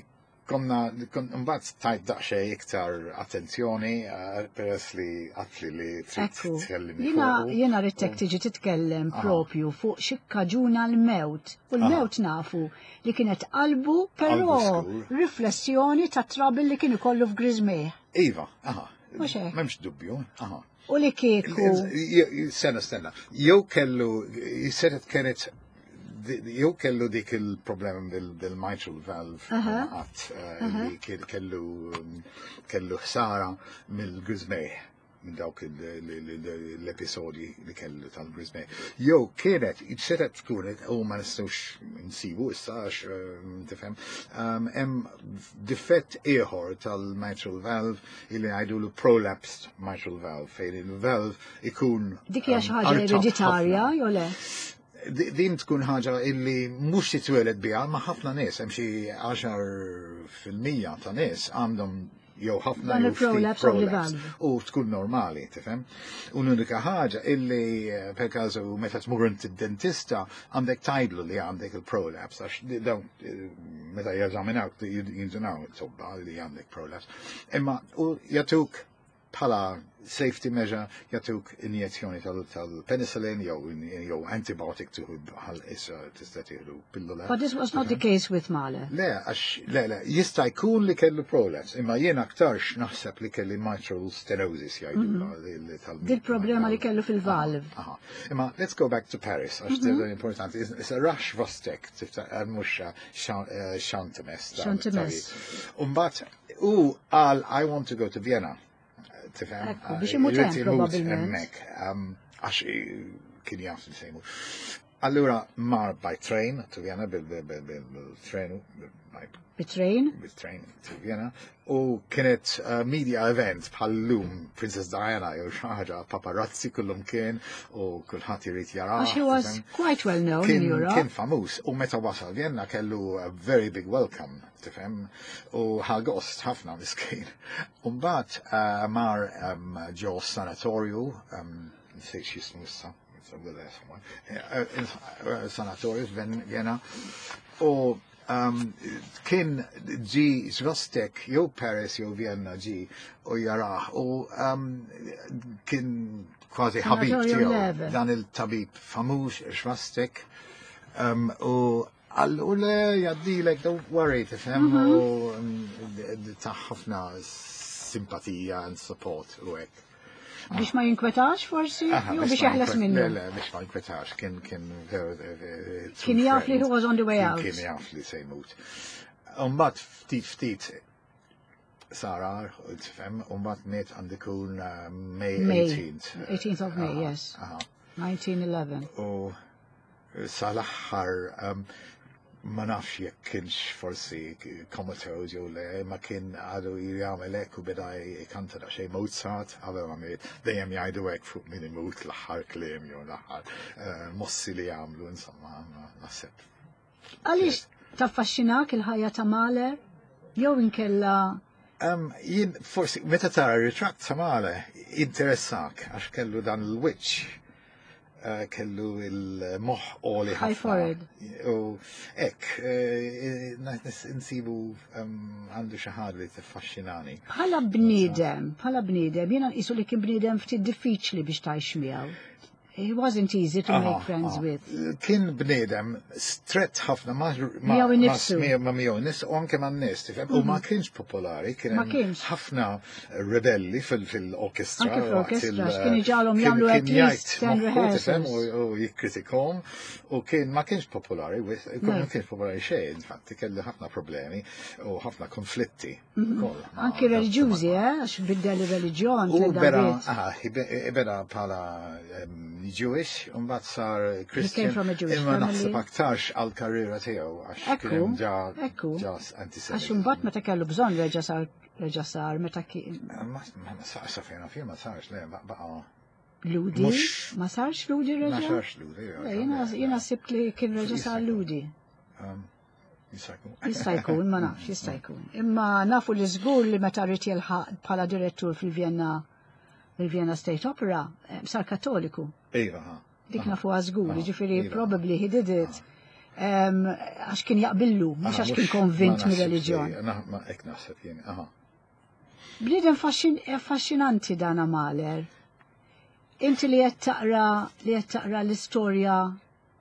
S3: konna, mbagħad tajt daqsxejn iktar attenzjoni eh, peress li għatli li trid tkellimni.
S1: Jiena jiena ridtek tiġi titkellem propju fuq xi kaġuna l-mewt. U l-mewt nafu li kienet qalbu, però riflessjoni ta' trouble li kien ikollu f'Griżmejh.
S3: Iva, aha.
S1: Mhux hekk.
S3: M'hemmx dubju, aha.
S1: U li kieku.
S3: Stenna, stenna. Jew kellu, setet kienet jew kellu dik il-problema bil-mitral valve għat eh, li kellu kellu ħsara mill-griżmejh minn dawk l-episodji li kellu tal-griżmejh. Jew kienet, setet tkun, u ma nistgħux nsibu issa għax eh, tifhem, hemm difett ieħor tal-mitral valve illi ngħidulu prolapsed mitral valve fejn il-valve ikun
S1: Dik hija xi ħaġa ereditarja jew le?
S3: Din tkun ħaġa illi mhux titwieled biha ma' ħafna nies, hemm xi 10% ta' nies għandhom jew ħafna
S1: jew ftit
S3: prolapse u tkun normali, tifhem? U l-unika ħaġa illi eh, per każu meta tmur id-dentista għandek tgħidlu li għandek il-prolapse għax dawn eh, meta jeżaminawk jindunaw it-tobba li għandek prolapse. Imma u jagħtuk bħala safety measure jagħtuk injezzjoni tal-penicillin jew jew antibiotic tieħu bħal issa tista' tieħdu pillola.
S1: But this was not the case with Mahler.
S3: Le, għax le, le, jista' jkun li kellu prolapse, imma jien aktarx naħseb li kelli mitral stenosis jgħidu
S1: mhm. tal Dil-problema li kellu fil-valve.
S3: Imma let's go back to Paris, għax mm importanti. Issa Rush Vostek, tiftakar mhux Chantemesse.
S1: Chantemesse.
S3: Umbagħad u qal I want to go to Vienna. Tifhem?
S1: Ekku, biex imut hemm probabbilment.
S3: Għax kien jaf li se jmut. Allura mar by train to Vienna bil-train
S1: Bit-train?
S3: Bit-train to Vienna. U kienet uh, media event bħal-lum Princess Diana jew xi ħaġa paparazzi kullum kien u kulħadd irid jara.
S1: Għax he was quite well known in Europe.
S3: Kien famuż u meta wasal Vienna kellu a very big welcome, tifhem, u ħa gost ħafna miskin. U mbagħad uh, mar um, ġo sanatorju, um, nsejt x'jismu issa, eh, sanatorju f'Vienna, u um, kien ġi Svastek jew Paris jew Vienna ġi u jarah u um, kien kważi ħabib tiegħu dan il-tabib famuż Svastek um, u qallu le jgħaddilek don't worry tifhem mhm. u um, ta' ħafna simpatija and support u hekk.
S1: Biex ma jinkwetax forsi? Jew biex jeħles minnu?
S3: Le, le, biex ma jinkwetax, kien kien
S1: Kien jaf li he was on the way out.
S3: Kien jaf li se jmut. Umbagħad ftit ftit sara, tifhem, umbagħad miet għandu jkun uh, May 18th.
S1: 18th of May, yes. 1911.
S3: U sal-aħħar um, Ma nafx jekk kienx forsi comatose jew le, ma kien għadu jagħmel hekk u beda jkanta daqsxejn Mozart qabel ma miet, dejjem jgħidu hekk fuq min imut l-aħħar kliem jew l-aħħar eh, mossi li jagħmlu, insomma, naħseb.
S1: Għaliex taffaxxinak il-ħajja ta' Mahler? Jew inkella
S3: Jien forsi meta tara ritratt ta' Mahler interessak għax kellu dan l-wiċċ Eh, kellu il-moħ oli
S1: ħafna.
S3: U ek, eh, nsibu għandu xi ħaġa li tiffaxxinani.
S1: Bħala bniedem, bħala bniedem, jiena nqisu li kien bniedem ftit diffiċli biex tgħix miegħu. He wasn't easy to make friends with.
S3: Kien bniedem stret ħafna ma'
S1: miegħu innifsu.
S3: Ma' miegħu nis u anke ma' nies, tifhem, u ma mhm. kienx popolari, kien ħafna rebelli fil-orkestra.
S1: Anke fl-orkestra, kien iġalhom jagħmlu at least 10 rehearsals.
S3: U jikkritikom u kien ma kienx popolari, ma kienx popolari xejn, infatti kelli ħafna problemi u ħafna konflitti.
S1: Mhm. Anki reliġjużi, eh, għax biddel ir-reliġjon.
S3: U beda, ah, beda bħala Jewish, u mbagħad sar Christian. Imma naħseb aktarx għal karriera tiegħu għax kien ġa
S1: antisemit. Għax imbagħad meta kellu bżonn reġa' sar reġa' sar meta kien.
S3: Ma sa fejn ma sarx le baqa'
S1: Ludi? Ma sarx Ludi reġa'?
S3: Ma sarx Ludi.
S1: Jiena sibt li kien reġa' sar Ludi.
S3: Jista' jkun.
S1: Jista' jkun, ma nafx, jista' jkun. Imma nafu li żgur li meta rrid jilħaq bħala direttur fil-Vienna il-Vienna State Opera, eh, sar kattoliku.
S3: Iva,
S1: Dik nafu żgur, ġifieri iva. probably he did it għax kien jaqbillu, mhux għax kien konvint mir-reliġjon.
S3: Ma hekk naħseb jien, aha.
S1: Bniedem affaxxinanti dan Mahler. Inti li qed taqra li qed taqra l-istorja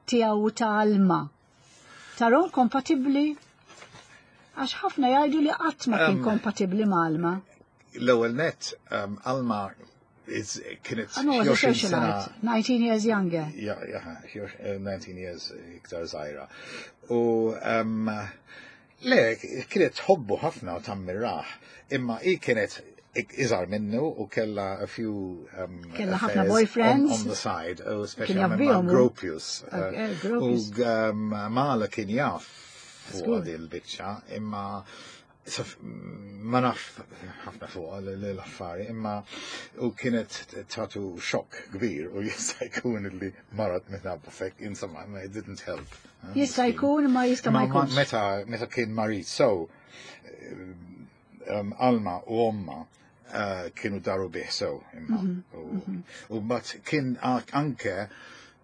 S1: tiegħu ta' Alma. Tarhom kompatibbli? Għax ħafna jgħidu li qatt ma kien kompatibbli ma' Alma.
S3: L-ewwel net, Alma kienet
S1: 20 sena. 19 years younger.
S3: Ja, ja, 19 eh, years iktar żgħira. U um, le, kienet tħobbu ħafna u tammirah, imma i kienet iżgħar minnu u kella a few
S1: um, kella ħafna boyfriends
S3: on, on the side, u speċjalment ma' Gropius. Uh, u um, Mala kien jaf fuq il-biċċa, imma ma naf ħafna fuq l-affari, imma u kienet tatu xokk kbir u jista' jkun li marat minħabba fek, insomma, it didn't help.
S1: Jista' jkun, ma jista' ma jkunx.
S3: Meta, meta kien marit, so, um, Alma u omma uh, kienu daru bih sew imma. Mhm, mhm. U mbagħad kien anke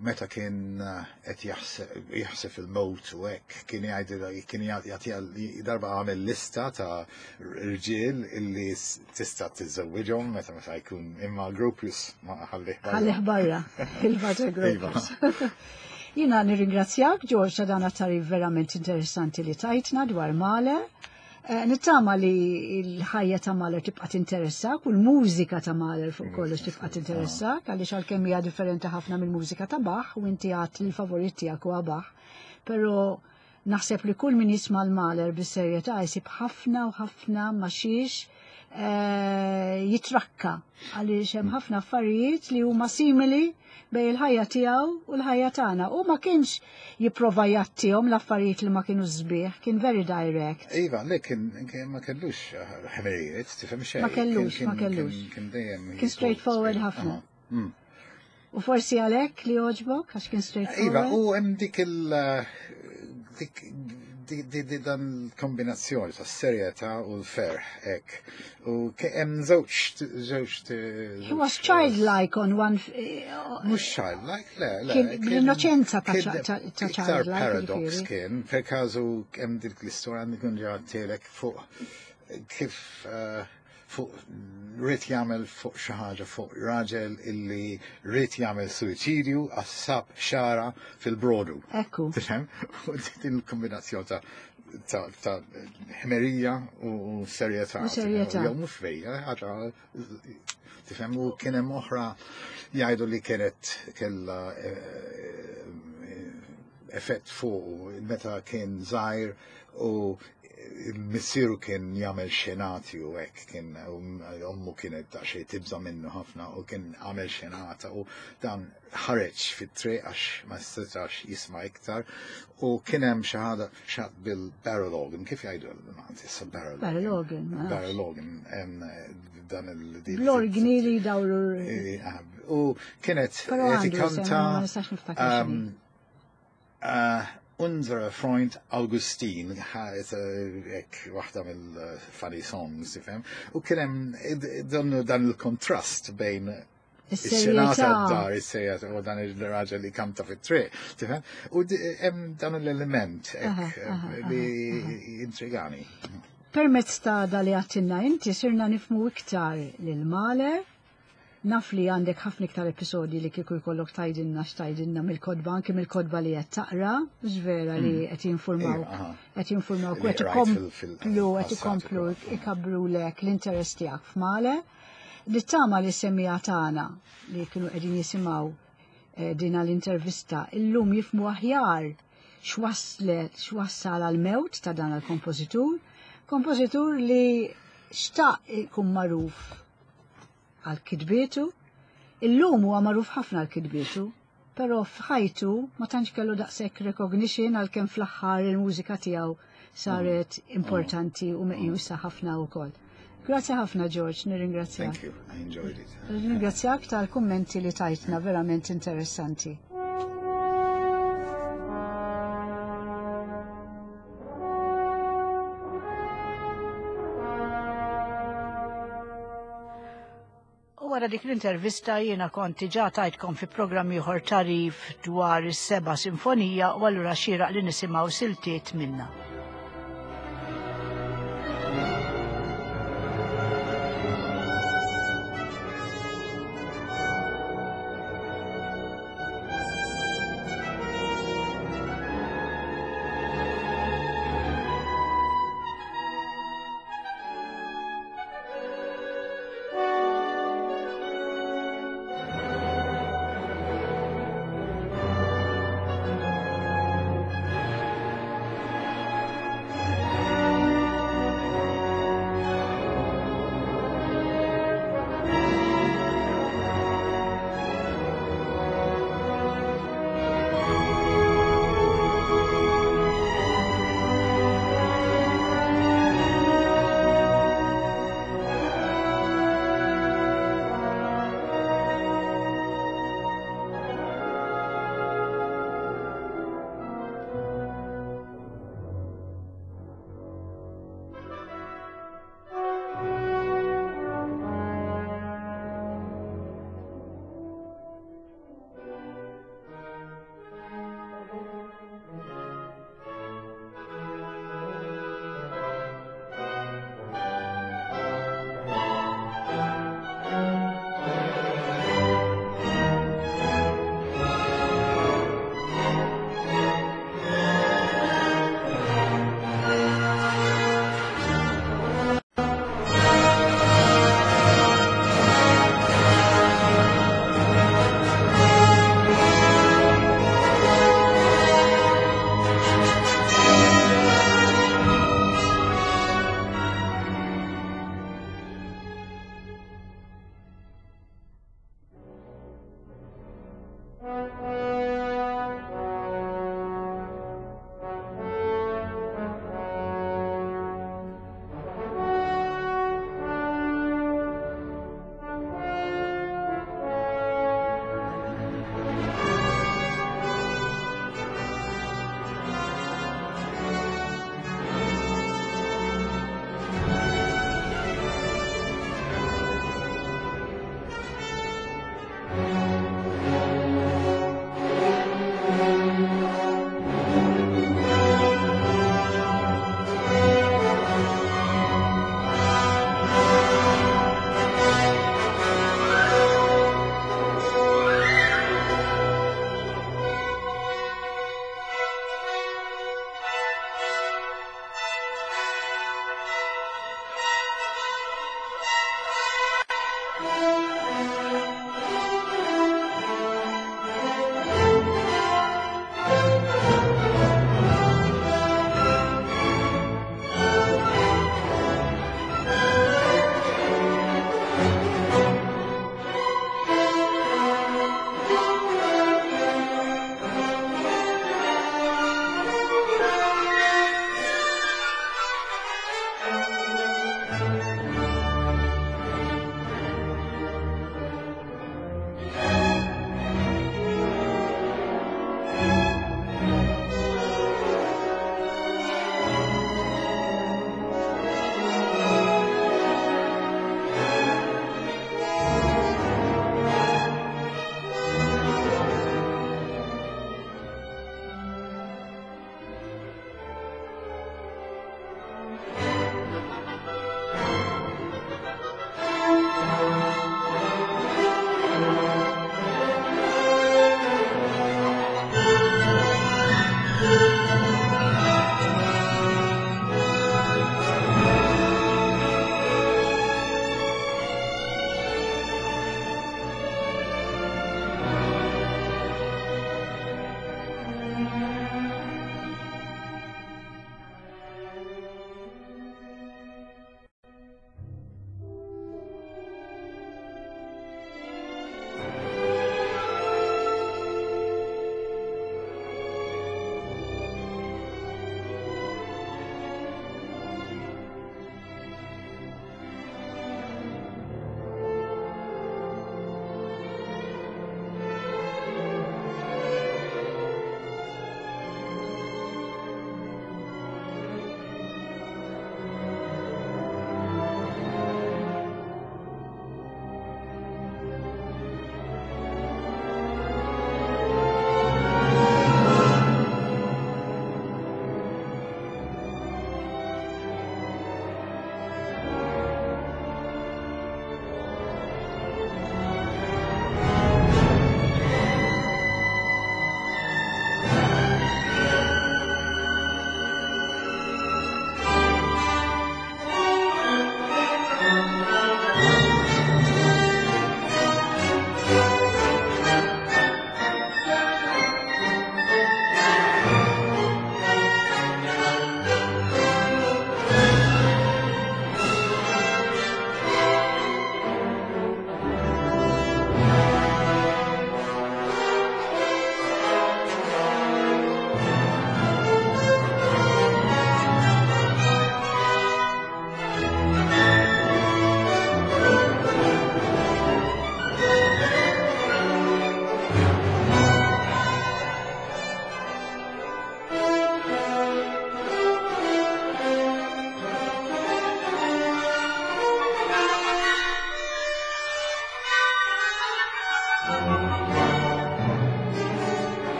S3: meta kien eh, qed jaħseb il-mowt u hekk kien jgħidilha kien jagħtiha darba għamel lista ta' rġiel illi tista' tiżżewwiġhom meta meta jkun imma Gropius ma ħallih
S1: barra. Ħallih barra, il-Vater
S3: iva.
S1: Gropius. Jina nirringrazzjak George ta' dan għat verament interessanti li tajtna dwar Mahler. Eh, nittama li l-ħajja ta' Mahler tibqa' tinteressak u l-mużika ta' Mahler fuq kollox tibqa' tinteressak għaliex għalkemm hija differenti ħafna mill-mużika ta' Bach u inti għad li l-favorit tiegħek huwa Bach. Però naħseb li kull min jisma' l-Mahler bis-serjetà jsib ħafna u ħafna ma xiex eh, jitrakka għaliex hemm ħafna affarijiet li huma simili bej il-ħajja tiegħu u l-ħajja tagħna. U ma kienx jipprova jgħattihom l-affarijiet li ma kienu sbieħ, kien very direct.
S3: Iva, le kien ma kellux ħmerijiet, tifhem xejn.
S1: Ma kellux, ma kellux.
S3: Kien dejjem.
S1: Kien straightforward ħafna. Mm. U forsi għalhekk li għoġbok għax kien straightforward.
S3: Iva, u hemm dik il dik di dan kombinazzjoni ta' serjetà u l-ferħ hekk. U hemm żewġ żewġ
S1: He was childlike on one eh,
S3: Mhux childlike, le, le.
S1: L-innoċenza ta' childlike.
S3: Paradox kien, per każu hemm dik l-istorja għandi kun ġa fuq kif eh, fuq rrit jagħmel fuq xi ħaġa fuq raġel illi rrit jagħmel suwiċidju għax sab xara fil-brodu.
S1: Ekku.
S3: Tifhem? U din il-kombinazzjoni ta' ta' ta' ħmerija u serjetà.
S1: U serjetà.
S3: Jew mhux vejja, ħaġa tifhem u kien hemm oħra jgħidu li kienet kellha eh, effett fuq meta kien żgħir u missieru kien jagħmel xenati u hekk kien ommu kienet daqsxejn tibża' minnu ħafna u kien għamel xenata u dan ħareġ fit-triq għax ma setax jisma' iktar u kien hemm xi ħaġa xat bil-barrel organ, kif jgħidu l-Malti issa barrel organ?
S1: Barrel organ, ma nafx.
S3: Barrel organ, dan il-
S1: Bl-organi li jdawru.
S3: U kienet
S1: Però
S3: qed
S1: għandu
S3: ikanta
S1: isem, ma nistax niftakar x'inhi.
S3: Unser Freund Augustin, hekk waħda mill-funny songs, tifhem, u kien hemm dan il-kontrast bejn
S1: Is-serjetà.
S3: Is-serjetà dar, is-serjetà, u dan il-raġel li kanta fit-triq, tifhem? U hemm dan l-element hekk li intrigani.
S1: Permezz ta' da li għattinna inti sirna nifmu iktar lil Mahler. Naf li għandek ħafna iktar episodji li kieku jkollok tgħidilna x'tgħidilna mill-kotba, anke mill-kotba li qed taqra, mhux vera li qed jinfurmawk,
S3: Iva, aha.
S1: qed jinfurmawk u
S3: Li
S1: qed
S3: rajt
S1: ikomplu, qed
S3: fil-passat
S1: ikomplu
S3: ukoll.
S1: ikabrulek l-interess tiegħek f'Mahler. Nittama li semmiegħa tagħna li kienu qegħdin jisimgħu dina l-intervista illum jifmu aħjar x'wassal għal-mewt ta' dan il-kompożitur, kompożitur li xtaq ikun magħruf għal kitbietu, illum huwa magħruf ħafna għal kitbietu, però f'ħajtu ma tantx kellu daqshekk recognition għalkemm fl-aħħar il-mużika tiegħu saret importanti u meqjusa ħafna wkoll. Grazzi ħafna George, nirringrazzjak.
S3: Thank you, I enjoyed it.
S1: Nirringrazzjak tal-kummenti li tajtna, verament interessanti. U wara dik l-intervista jiena kont diġà tajtkom fi programm ieħor tarif dwar is-seba' sinfonija u allura xieraq li nisimgħu siltiet minnha.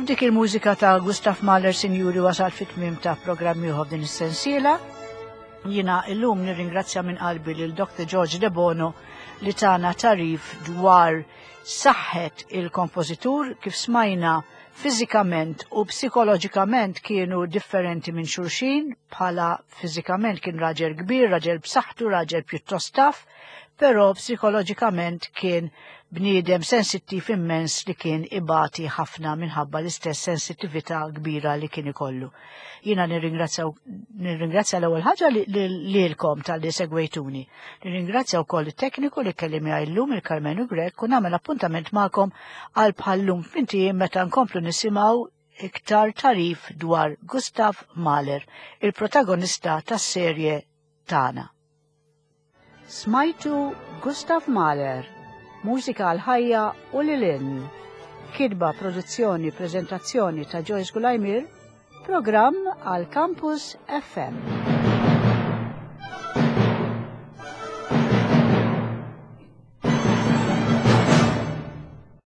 S1: U b'dik il-mużika ta' Gustav Mahler Sinjuri wasal fit-tmiem ta' programm ieħor din is-sensiela. Jiena illum nirringrazzja minn qalbi lil Dr. George De Bono li tana tarif dwar saħħet il-kompożitur kif smajna fiżikament u psikoloġikament kienu differenti minn xulxin bħala fiżikament kien raġel kbir, raġel b'saħħtu, raġel pjuttost taf, però psikoloġikament kien bniedem sensittiv immens li kien ibati ħafna minħabba l-istess sensittività kbira li kien ikollu. Jiena nirringrazzja l-ewwel ħaġa lilkom talli segwejtuni. Nirringrazzja wkoll it-tekniku li kelli miegħi llum il-Karmenu Grech u nagħmel appuntament magħkom għal bħal-lum f'mintijiem meta nkomplu nisimgħu iktar tarif dwar Gustav Mahler, il-protagonista tas-serje tagħna. Smajtu Gustav Mahler, mużika għal ħajja u lil hinn. Kitba, produzzjoni, preżentazzjoni ta' Joyce Gulajmir, programm għal Campus FM.